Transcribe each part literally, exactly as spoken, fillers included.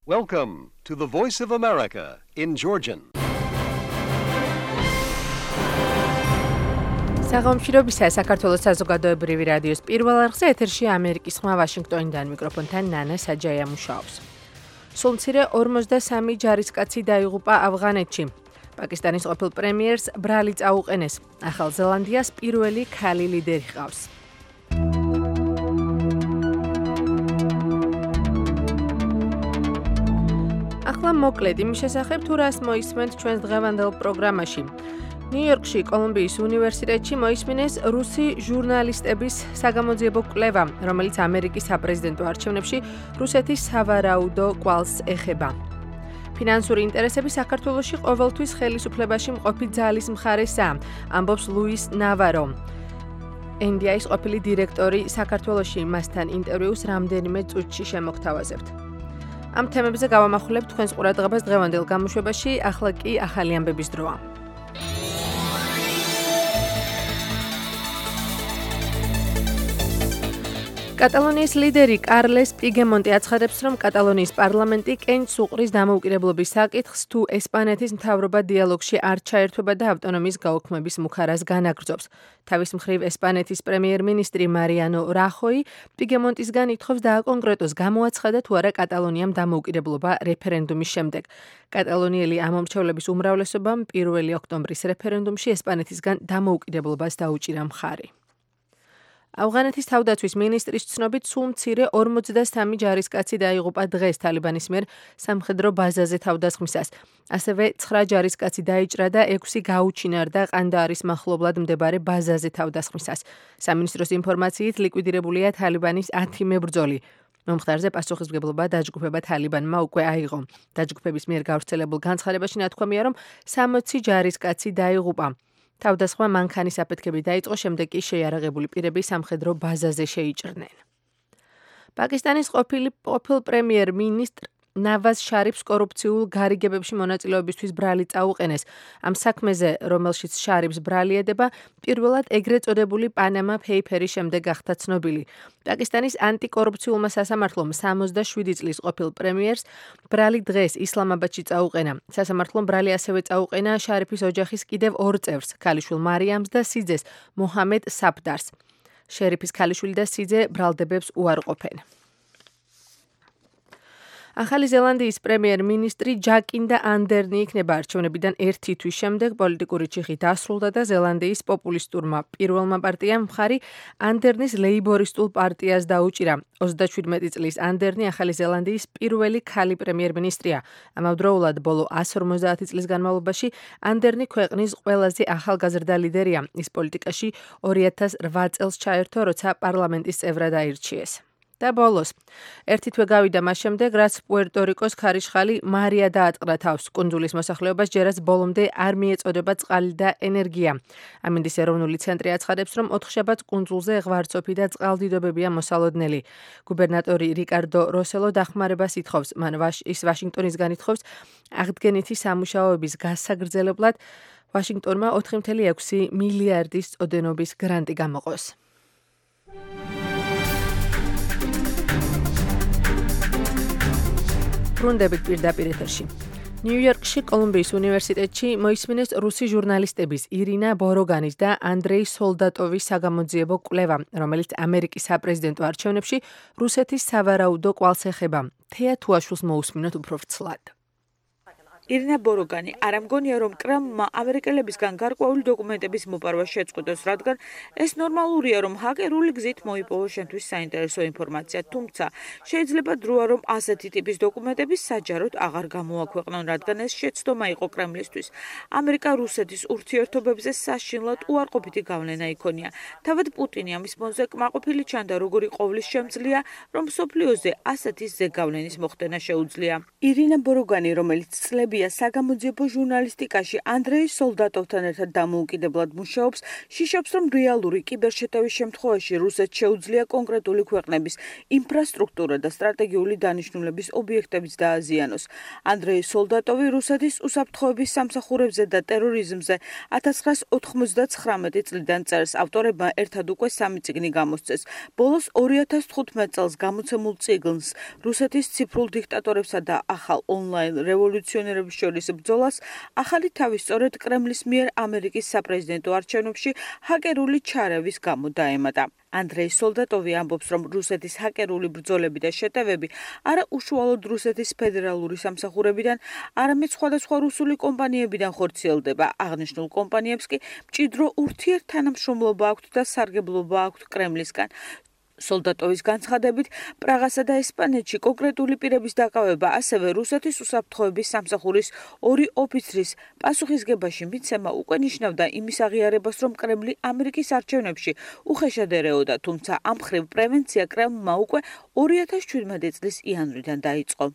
Welcome to the Voice of America in Georgian. საღამოშრობისა საქართველოს საზოგადოებრივი რადიოს პირველ არხზე ეთერში ამერიკის ხმა ვაშინგტონიდან მიკროფონთან ნანა საჯაია მუშაობს. სულ მცირე ორმოცდასამი ჯარისკაცი დაიღუპა ავღანეთში. პაკისტანის ყოფილ პრემიერს ბრალი წაუყენეს. ახალ ზელანდიას პირველი ქალი ლიდერი ჰყავს. ახლა მოკლედ იმის შესახებ თუ რას მოისმენთ ჩვენს დღევანდელ პროგრამაში. ნიუ-იორკში კოლუმბიის უნივერსიტეტში მოისმინეს რუსი ჟურნალისტების საგამოძიებო კვლევა, რომელიც ამერიკის საპრეზიდენტო არჩევნებში რუსეთის სავარაუდო კვალს ეხება. ფინანსური ინტერესები საქართველოში ყოველთვის ხელისუფლებაში მყოფი ძალის მხარესაა, ამბობს ლუის ნავარო. ენ დი აის ყოფილი დირექტორი საქართველოში მასთან ინტერვიუს რამდენიმე წუთში შემოგთავაზებთ. ამ თემებზე გავამახვილებთ თქვენს ყურადღებას დღევანდელ გამოშვებაში, ახლა კი ახალი ამბების დროა. კატალონიის ლიდერი კარლეს პიგემონტი აცხადებს, რომ კატალონიის პარლამენტი კენჭს უყრის დამოუკიდებლობის საკითხს, თუ ესპანეთის მთავრობა დიალოგში არ ჩაერთვება და ავტონომიის გაუქმების მუხარას განაგრძობს. თავის მხრივ ესპანეთის პრემიერ-მინისტრი მარიანო რახოი პიგემონტისგან ითხოვს დააკონკრეტოს, გამოაცხადა თუ არა კატალონიამ დამოუკიდებლობა რეფერენდუმის შემდეგ. კატალონიელი ამომრჩევლების უმრავლესობამ პირველი ოქტომბრის რეფერენდუმში ესპანეთისგან დამოუკიდებლობას დაუჭირა მხარი. ავღანეთის თავდაცვის მინისტრის ცნობით, სულ მცირე ორმოცდასამი ჯარისკაცი დაიღუპა დღეს თალიბანის მიერ სამხედრო ბაზაზე თავდასხმისას. ასევე ცხრა ჯარისკაცი დაიჭრა და ექვსი გაუჩინარდა ყანდაარის მახლობლად მდებარე ბაზაზე თავდასხმისას. სამინისტროს ინფორმაციით ლიკვიდირებულია თალიბანის ათი მებრძოლი. მომხდარზე პასუხისმგებლობა დაჯგუფება თალიბანმა უკვე აიღო. დაჯგუფების მიერ გავრცელებულ განცხადებაში ნათქვამია, რომ სამოცი ჯარისკაცი დაიღუპა. თავდასხმა მანქანის აფეთქებით დაიწყო, შემდეგ კი შეიარაღებული პირები სამხედრო ბაზაზე შეიჭრნენ. პაკისტანის ყოფილი ყოფილ პრემიერ-მინისტრ ნავაზ შარიფს კორუფციულ გარიგებებში მონაწილეობისთვის ბრალი წაუყენეს. ამ საქმეზე, რომელშიც შარიფს ბრალი ედება, პირველად ეგრეთ წოდებული პანამა პეიპერის შემდეგ გახდა ცნობილი. პაკისტანის ანტიკორუფციულმა სასამართლომ სამოცდაშვიდი წლის ყოფილ პრემიერს ბრალი დღეს ისლამაბადში წაუყენა. სასამართლომ ბრალი ასევე წაუყენა შარიფის ოჯახის კიდევ ორ წევრს, ქალიშვილ მარიამს და სიძეს, მოჰამედ საფდარს. შერიფის ქალიშვილი და სიძე ბრალდებებს უარყოფენ. ახალი ზელანდიის პრემიერ-მინისტრი ჯაკინდა ანდერნი იქნება არჩევნებიდან ერთი თვის შემდეგ პოლიტიკური ჩიხი დასრულდა და ზელანდიის პოპულისტურმა პირველმა პარტიამ მხარი ანდერნის ლეიბორისტულ პარტიას დაუჭირა. ოცდაშვიდმეტი წლის ანდერნი ახალი ზელანდიის პირველი ქალი პრემიერ-მინისტრია. ამავდროულად ბოლო ასი ორმოცდაათი წლის განმავლობაში ანდერნი ქვეყნის ყველაზე ახალგაზრდა ლიდერია. ის პოლიტიკაში ორი ათას რვა წელს ჩაერთო, როცა პარლამენტის წევრად აირჩიეს. და ბოლოს, ერთი თვე გავიდა მას შემდეგ, რაც პუერტო-რიკოს ქარიშხალი მარია დაატყდა თავს. კუნძულის მოსახლეობას ჯერაც ბოლომდე არ მიეწოდება წყალი და ენერგია. ამინდის ეროვნული ცენტრი აცხადებს, რომ ოთხშაბათს კუნძულზე ღვარცოფი და წყალდიდობებია მოსალოდნელი. გუბერნატორი რიკარდო როსელო დახმარებას ითხოვს. მან ის ვაშინგტონისგან ითხოვს აღდგენითი სამუშაოების გასაგრძელებლად ვაშინგტონმა ოთხი წუთი ექვსი მილიარდის წოდენობის გრანტი გამოყოს. ბრუნდებით პირდაპირ ეთერში. ნიუ-იორკში კოლუმბიის უნივერსიტეტში მოისმინეს რუსი ჟურნალისტების ირინა ბოროგანის და ანდრეი სოლდატოვის საგამოძიებო კვლევა, რომელიც ამერიკის საპრეზიდენტო არჩევნებში რუსეთის სავარაუდო კვალს ეხება. თეა თუაშვილს მოусმინოთ უფრო ვრცლად. ირინა ბოროგანი არ ამგონია, რომ კრემლმა ამერიკელებისგან გარკვეული დოკუმენტების მოპარვა შეწყვიტოს, რადგან ეს ნორმალურია, რომ ჰაკერული გზით მოიპოვოს შენთვის საინტერესო ინფორმაცია, თუმცა შეიძლება დროა, რომ ასეთი ტიპის დოკუმენტები საჯაროდ აღარ გამოაქვეყნონ, რადგან ეს შეცდომა იყო კრემლისთვის. ამერიკა რუსეთის ურთიერთობებზე საშინლად უარყოფითი გავლენა იქონია. თავად პუტინი ამის ფონზე კმაყოფილი ჩანდა, როგორი ყოვლის შემძლეა, რომ მსოფლიოზე ასეთი ზეგავლენის მოხდენა შეუძლია. ირინა ბოროგანი, რომელიც წლები სოლდატოვია საგამოძიებო ჟურნალისტიკაში ანდრეი სოლდატოვთან ერთად დამოუკიდებლად მუშაობს, შიშობს, რომ რეალური კიბერშეტევის შემთხვევაში რუსეთს შეუძლია კონკრეტული ქვეყნების ინფრასტრუქტურა და სტრატეგიული დანიშნულების ობიექტებიც დააზიანოს. ანდრეი სოლდატოვი რუსეთის უსაფრთხოების სამსახურებზე და ტერორიზმზე ათას ცხრაას ოთხმოცდაცხრამეტი წლიდან წერს. ავტორებმა ერთად უკვე სამი წიგნი გამოსცეს. ბოლოს ორი ათას თხუთმეტ წელს გამოცემულ წიგნს რუსეთის ციფრულ დიქტატორებსა და ახალ ონლაინ რევოლუციონერების შორის ბრძოლას ახალი თავი სწორედ კრემლის მიერ ამერიკის საპრეზიდენტო არჩევნებში ჰაკერული ჩარევის გამო დაემატა. ანდრეი სოლდატოვი ამბობს, რომ რუსეთის ჰაკერული ბრძოლები და შეტევები არა უშუალოდ რუსეთის ფედერალური სამსახურებიდან, არამედ სხვადასხვა რუსული კომპანიებიდან ხორციელდება. აღნიშნულ კომპანიებს კი მჭიდრო ურთიერთთანამშრომლობა აქვთ და სარგებლობა აქვთ კრემლისგან. სოლდატოვის განცხადებით, პრაღასა და ესპანეთში კონკრეტული პირების დაკავება, ასევე რუსეთის უსაფრთხოების სამსახურის ორი ოფიცრის პასუხისგებაში მიცემა უკვე ნიშნავდა იმის აღიარებას, რომ კრემლი ამერიკის არჩევნებში უხეშად ერეოდა, თუმცა ამ მხრივ პრევენცია კრემლმა უკვე ორი ათას შვიდმეტი წლის იანვრიდან დაიწყო.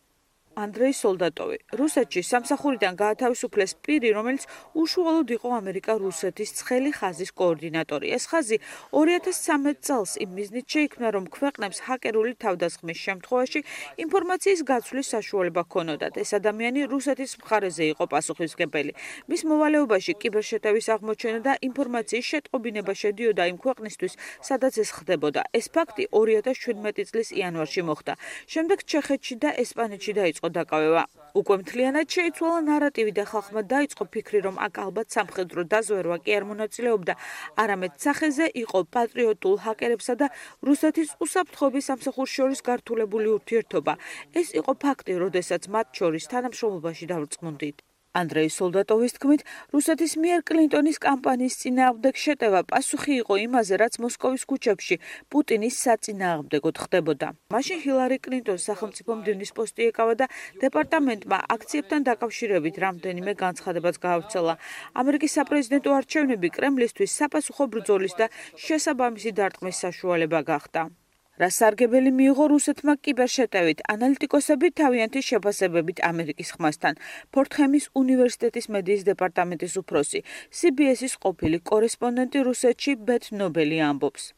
ანდრეი სოლდატოვი რუსეთში სამსახურიდან გაათავისუფლეს პირი, რომელიც უშუალოდ იყო ამერიკა-რუსეთის ცხელი ხაზის კოორდინატორი. ეს ხაზი ორი ათას ცხრამეტ წელს იმ მიზნით შეიქმნა, რომ ქვეყნებს ჰაკერული თავდასხმის შემთხვევაში ინფორმაციის გაცვლის საშუალება ჰქონოდათ. ეს ადამიანი რუსეთის მხარეზე იყო პასუხისმგებელი. მის მოვალეობაში კიბერშეტევის აღმოჩენა და ინფორმაციის შეტყობინება შედიოდა იმ ქვეყნისთვის, სადაც ეს ხდებოდა. ეს ფაქტი ორი ათას შვიდმეტი წლის იანვარში მოხდა. შემდეგ ჩეხეთში და ესპანეთში დაიწყო დაკავება. უკვე მთლიანად შეიცვალა ნარატივი და ხალხმა დაიწყო ფიქრი, რომ აქ ალბათ სამხედრო დაზვერვა კი არ მონაწილეობდა, არამედ სახეზე იყო პატრიოტულ ჰაკერებსა და რუსეთის უსაფრთხოების სამსახურს შორის გართულებული ურთიერთობა. ეს იყო ფაქტი, როდესაც მათ შორის თანამშრომლობაში დავრწმუნდით. ანდრეი სოლდატოვის თქმით, რუსეთის მიერ კლინტონის კამპანიის წინააღმდეგ შეტევა პასუხი იყო იმაზე, რაც მოსკოვის ქუჩებში პუტინის საწინააღმდეგოდ ხდებოდა. მაშინ ჰილარი კლინტონს სახელმწიფო მდივნის პოსტი ეკავა და დეპარტამენტმა აქციებთან დაკავშირებით რამდენიმე განცხადებაც გაავრცელა. ამერიკის საპრეზიდენტო არჩევნები კრემლისთვის საპასუხო ბრძოლის და შესაბამისი დარტყმის საშუალება გახდა. რა სარგებელი მიიღო რუსეთმა კიბერშეტევით, ანალიტიკოსები თავიანთი შეფასებებით ამერიკის ხმასთან. ფორტჰემის უნივერსიტეტის მედიის დეპარტამენტის უფროსი, სი ბი ეს-ის ყოფილი კორესპონდენტი რუსეთში ბეთ ნობელი ამბობს.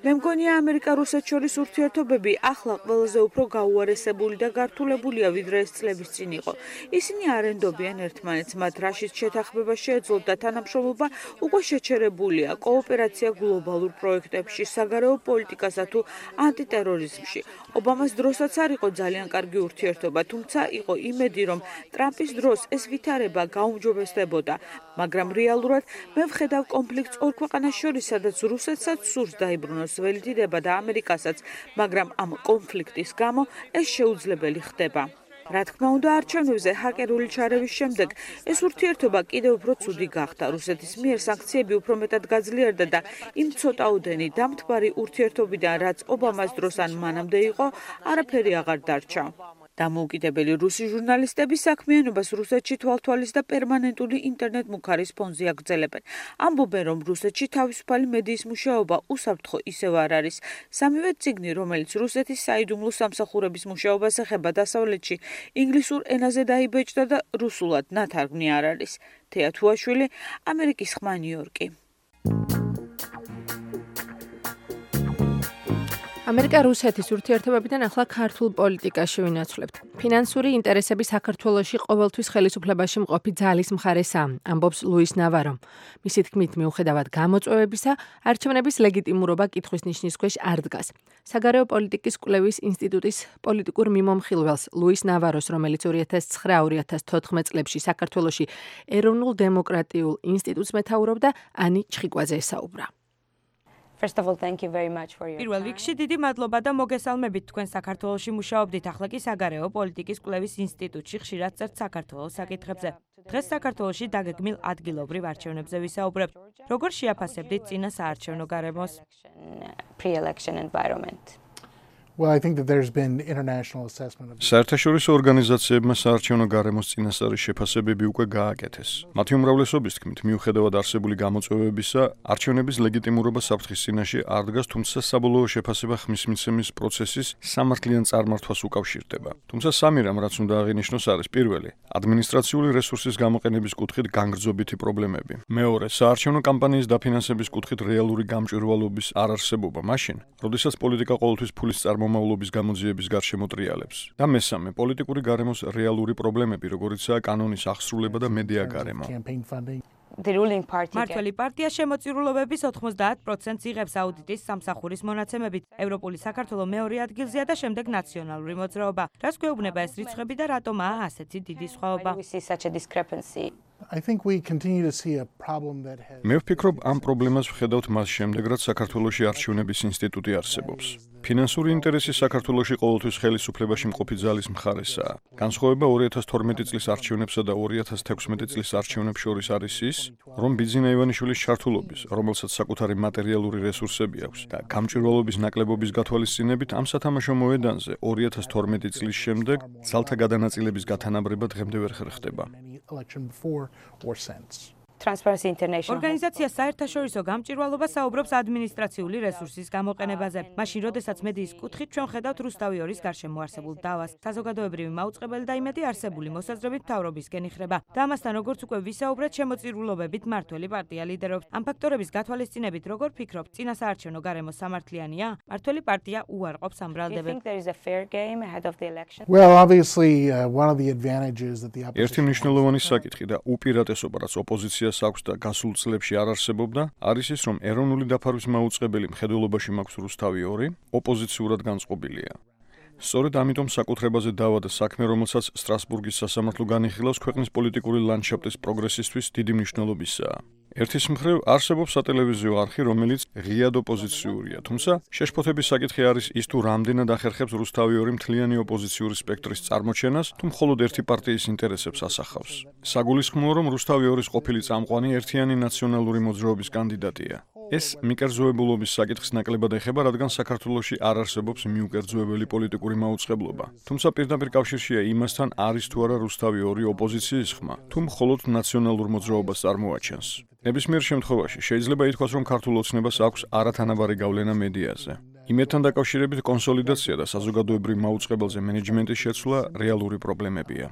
მე მგონია ამერიკა-რუსეთს შორის ურთიერთობები ახლა ყველაზე უფრო გაუარესებული და გართულებულია, ვიდრე ეს წლების წინ იყო. ისინი არ ენდობიან ერთმანეთს, მათ რაშიც შეთანხმება შეეძლოთ და თანამშრომლობა უკვე შეჩერებულია. კოოპერაცია გლობალურ პროექტებში, საგარეო პოლიტიკასა თუ ანტიტერორიზმში. ობამას დროსაც არ იყო ძალიან კარგი ურთიერთობა, თუმცა იყო იმედი, რომ ტრამპის დროს ეს ვითარება გაუმჯობესდებოდა. მაგრამ რეალურად მე ვხედავ კონფლიქტს ორ ქვეყანას შორის, სადაც რუსეთსაც სურს დაიბრუნოს ველი დიდება და ამერიკასაც, მაგრამ ამ კონფლიქტის გამო ეს შეუძლებელი ხდება. რა თქმა უნდა, არჩევნებზე ჰაკერული ჩარევის შემდეგ ეს ურთიერთობა კიდევ უფრო ცუდი გახდა. რუსეთის მიერ სანქციები უფრო მეტად გაძლიერდა და იმ ცოტაოდენი დამთბარი ურთიერთობიდან, რაც ობამას დროს ან მანამდე იყო, არაფერი აღარ დარჩა. დამოუკიდებელი რუსი ჟურნალისტები საქმიანობას რუსეთში თვალთვალის და პერმანენტული ინტერნეტ მუხარის ფონზე აგრძელებენ. ამბობენ, რომ რუსეთში თავისუფალი მედიის მუშაობა უსაფრთხო ისევ არ არის. სამივე წიგნი, რომელიც რუსეთის საიდუმლო სამსახურების მუშაობას ეხება დასავლეთში, ინგლისურ ენაზე დაიბეჭდა და რუსულად ნათარგმნი არ არის. თეა თუაშვილი, ამერიკის ხმა, ნიუ-იორკი. ამერიკა-რუსეთის ურთიერთობებიდან ახლა ქართულ პოლიტიკაში ვინაცვლებთ. ფინანსური ინტერესები საქართველოში ყოველთვის ხელისუფლებაში მყოფი ძალის მხარესაა, ამბობს ლუის ნავარო. მისი თქმით, მიუხედავად გამოწვევებისა, არჩევნების ლეგიტიმურობა კითხვის ნიშნის ქვეშ არ დგას. საგარეო პოლიტიკის კვლევის ინსტიტუტის პოლიტიკურ მიმომხილველს ლუის ნავაროს, რომელიც ორი ათას ცხრა ორი ათას თოთხმეტ წლებში საქართველოში ეროვნულ დემოკრატიულ ინსტიტუტს მეთაურობდა, ანი ჩხიკვაძე ესაუბრა. პირველ რიგში დიდი მადლობა და მოგესალმებით, თქვენ საქართველოში მუშაობდით, ახლა კი საგარეო პოლიტიკის კვლევის ინსტიტუტში ხშირად წერთ საქართველოს საკითხებზე. დღეს საქართველოში დაგეგმილ ადგილობრივ არჩევნებზე ვისაუბრებთ. როგორ შეაფასებდით წინა საარჩევნო გარემოს? Well, I think that there's been international assessment of საერთაშორისო ორგანიზაციებმა საარჩევნო გარემოს წინასწარი შეფასებები უკვე გააკეთეს. მათი უმრავლესობის თქმით, მიუხედავად არსებული გამოწვევებისა, არჩევნების ლეგიტიმურობა საფრთხის წინაშე არ დგას, თუმცა საბოლოო შეფასება ხმის მიცემის პროცესის სამართლიან წარმართვას უკავშირდება. თუმცა სამი რამ, რაც უნდა აღინიშნოს, არის პირველი, ადმინისტრაციული რესურსის გამოყენების კუთხით განგრძობითი პრობლემები. მეორე, საარჩევნო კამპანიის დაფინანსების კუთხით რეალური გამჭვირვალობის არარსებობა მაშინ, როდესაც პოლიტიკა ყოველთვის ფულის წარმომავლობის გამოძიების გარშემო ტრიალებს. და მესამე, პოლიტიკური გარემოს რეალური პრობლემები, როგორიცაა კანონის აღსრულება და მედია გარემო. მართველი პარტია შემოწირულობების ოთხმოცდაათ პროცენტს იღებს აუდიტის სამსახურის მონაცემებით. ევროპული საქართველო მეორე ადგილზეა და შემდეგ ნაციონალური მოძრაობა. რას გვეუბნება ეს რიცხვები და რატომაა ასეთი დიდი სხვაობა? I think we continue to see a problem that has მე ვფიქრობ, ამ პრობლემას ვხედავთ მას შემდეგ, რაც საქართველოში არჩევნების ინსტიტუტი არსებობს. ფინანსური ინტერესი საქართველოში ყოველთვის ხელისუფლებაში მყოფი ძალის მხარესაა. განსხვავება ორი ათას თორმეტი წლის არჩევნებსა და ორი ათას თექვსმეტი წლის არჩევნებს შორის არის ის, რომ ბიძინა ივანიშვილის ჩართულობის, რომელსაც საკუთარი მატერიალური რესურსები აქვს და გამჭვირვალობის ნაკლებობის გათვალისწინებით ამ სათამაშო მოედანზე ორი ათას თორმეტი წლის შემდეგ ძალთა გადანაწილების გათანაბრება დღემდე ვერ ხერხდება. election before or since. Transparency International. ორგანიზაცია საერთაშორისო გამჭვირვალობა საუბრობს ადმინისტრაციული რესურსის გამოყენებაზე. მაშინ, როდესაც მედიის კუთხით ჩვენ ხედავთ რუსთავი ორის გარშემო არსებულ დავას, საზოგადოებრივი მაუწყებელი და იმედი არსებული მოსაზრებით მთავრობისკენ იხრება. და ამასთან, როგორც უკვე ვისაუბრეთ, შემოწირულობებით მართველი პარტია ლიდერობს. ამ ფაქტორების გათვალისწინებით, როგორ ფიქრობთ, წინა საარჩევნო გარემო სამართლიანია? მართველი პარტია უარყოფს ამ ბრალდებებს. Well, obviously, uh, one of the advantages that the opposition ერთი მნიშვნელოვანი საკითხი და უპირატესობა, რაც ოპოზიციას აქვს და გასულ წლებში არ არსებობდა, არის ის, რომ ეროვნული დაფარვის მაუწყებელი მხედველობაში მაქვს რუსთავი ორი, ოპოზიციურად განწყობილია. სწორედ ამიტომ საკუთრებაზე დავა და საქმე, რომელსაც სტრასბურგის სასამართლო განიხილავს, ქვეყნის პოლიტიკური ლანდშაფტის პროგრესისთვის დიდი მნიშვნელობისაა. ერთის მხრივ არსებობს სატელევიზიო არხი, რომელიც ღიად ოპოზიციურია, თუმცა შეშფოთების საკითხი არის ის, თუ რამდენად ახერხებს რუსთავი ორი მთლიანი ოპოზიციური სპექტრის წარმოჩენას, თუ მხოლოდ ერთი პარტიის ინტერესებს ასახავს. საგულისხმოა, რომ რუსთავი ორის ყოფილი წამყვანი ერთიანი ნაციონალური მოძრაობის კანდიდატია. ეს მიკერძოებულობის საკითხს ნაკლებად ეხება, რადგან საქართველოში არ არსებობს მიუკერძოებელი პოლიტიკური მაუწყებლობა. თუმცა პირდაპირ კავშირშია იმასთან, არის თუ არა რუსთავი ორი ოპოზიციის ხმა, თუ მხოლოდ ნაციონალურ მოძრაობას წარმოაჩენს. ნებისმიერ შემთხვევაში შეიძლება ითქვას, რომ ქართულ ოცნებას აქვს არათანაბარი გავლენა მედიაზე. იმედთან დაკავშირებით კონსოლიდაცია და საზოგადოებრივ მაუწყებელზე მენეჯმენტის შეცვლა რეალური პრობლემებია.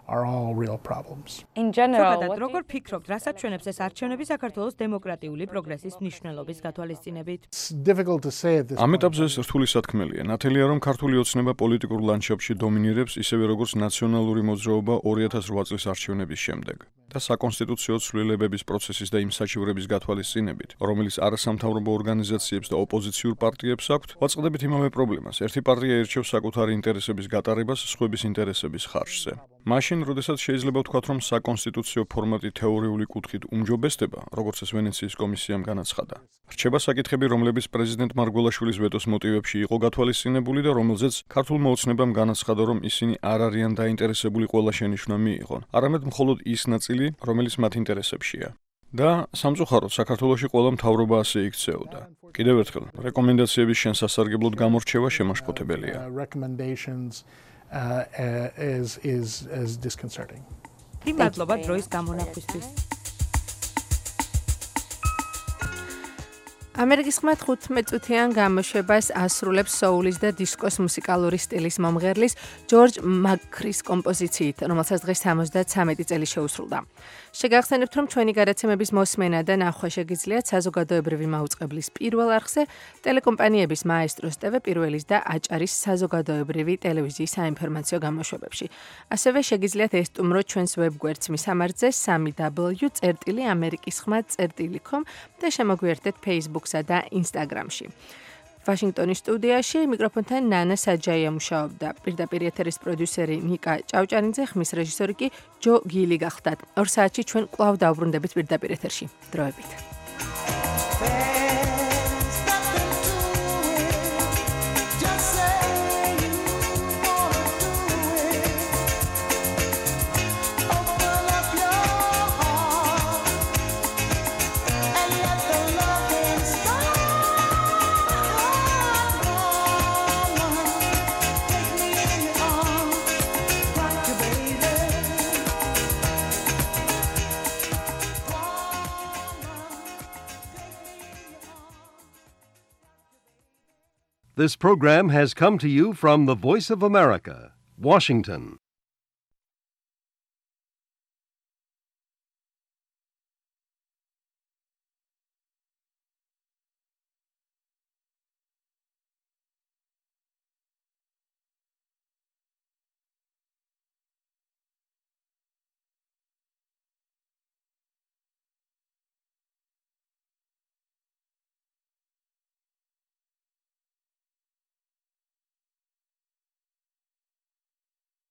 are all real problems. In general, როგორ ფიქრობთ, რასაც ჩვენებს ეს არჩევნები საქართველოს დემოკრატიული პროგრესის მნიშვნელობის გათვალისწინებით? It's difficult to say at this ამ point. ეტაპზე ეს რთული სათქმელია. ნათელია, რომ ქართული ოცნება პოლიტიკურ ლანდშაფტში დომინირებს, ისევე როგორც ნაციონალური მოძრაობა ორი ათას რვა წლის არჩევნების შემდეგ. და საკონსტიტუციო ცვლილებების პროცესის და იმ საჩივრების გათვალისწინებით, რომელიც არასამთავრობო ორგანიზაციებს და ოპოზიციურ პარტიებს აქვთ, ვაწყდებით იმავე პრობლემას. ერთი პარტია ირჩევს საკუთარი ინტერესების გატარებას სხვების ინტერესების ხარჯზე. მაშინ, როდესაც შეიძლება ვთქვათ, რომ საკონსტიტუციო ფორმატი თეორიული კუთხით უმჯობესდება, როგორც ეს ვენეციის კომისიამ განაცხადა. რჩება საკითხები, რომლებიც პრეზიდენტ მარგველაშვილის ვეტოს მოტივებში იყო გათვალისწინებული და რომელზეც ქართულმა ოცნებამ განაცხადა, რომ ისინი არ არიან დაინტერესებული ყველა შენიშვნა მიიღონ, არამედ მხოლოდ ის ნაწილი, რომელიც მათ ინტერესებშია. და სამწუხაროდ საქართველოში ყველა მთავრობა ასე იქცეოდა. კიდევ ერთხელ, რეკომენდაციების შესასარგებლოდ გამორჩევა შემაშფოთებელია. Uh, recommendations uh, uh, is is is disconcerting. მადლობა დროის გამონახვისთვის. ამერიკის ხმა თხუთმეტ წუთიან გამოშვებას ასრულებს soul-ის და დისკოს მუსიკალური სტილის მომღერლის ჯორჯ მაკრის კომპოზიციით, რომელსაც დღეს სამოცდათვრამეტი წელი შეუსრულდა. შეგახსენებთ, რომ ჩვენი გადაცემების მოსმენა და ნახვა შეგიძლიათ საზოგადოებრივი მაუწყებლის პირველ არხზე, ტელეკომპანიების მაესტროს ტევ პირველის და აჭარის საზოგადოებრივი ტელევიზიის საინფორმაციო გამოშვებებში. ასევე შეგიძლიათ ესტუმროთ ჩვენს ვებგვერდს მისამართზე სამი დაბლიუ წერტილი ამერიკის ხმა წერტილი com და შემოგვიერთდეთ Facebook-სა და Instagram-ში. ვაშინგტონის სტუდიაში მიკროფონთან ნანა საჯაია მუშაობდა. პირდაპირ ეთერის პროდიუსერი ნიკა ჭავჭარინძე, ხმის რეჟისორი კი ჯო გილი გახდათ. ორ საათში ჩვენ კვლავ დავბრუნდებით პირდაპირ ეთერში. დროებით. This program has come to you from the Voice of America, Washington.